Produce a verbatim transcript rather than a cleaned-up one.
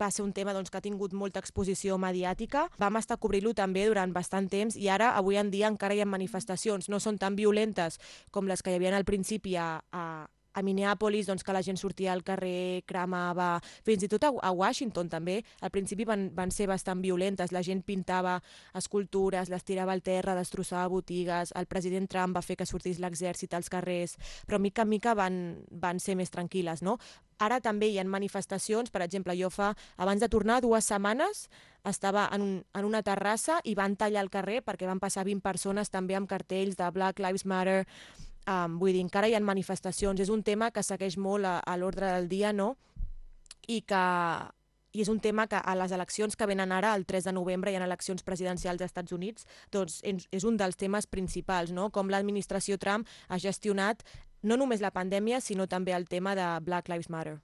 va ser un tema doncs, que ha tingut molta exposició mediàtica. Vam estar cobrint-lo també durant bastant temps i ara, avui en dia, encara hi ha manifestacions. No són tan violentes com les que hi havia al principi a, a, a Minneapolis, doncs, que la gent sortia al carrer, cremava, fins i tot a, a Washington també. Al principi van, van ser bastant violentes. La gent pintava escultures, les tirava al terra, destrossava botigues. El president Trump va fer que sortís l'exèrcit als carrers, però mica en mica van, van ser més tranquil·les, no? Ara també hi ha manifestacions, per exemple, jo fa, abans de tornar, dues setmanes, estava en, un, en una terrassa i van tallar el carrer perquè van passar vint persones també amb cartells de Black Lives Matter. Um, vull dir, encara hi ha manifestacions. És un tema que segueix molt a, a l'ordre del dia, no? I que i és un tema que a les eleccions que venen ara, el tres de novembre, hi ha eleccions presidencials als Estats Units, doncs és un dels temes principals, no? Com l'administració Trump ha gestionat no només la pandèmia, sinó també el tema de Black Lives Matter.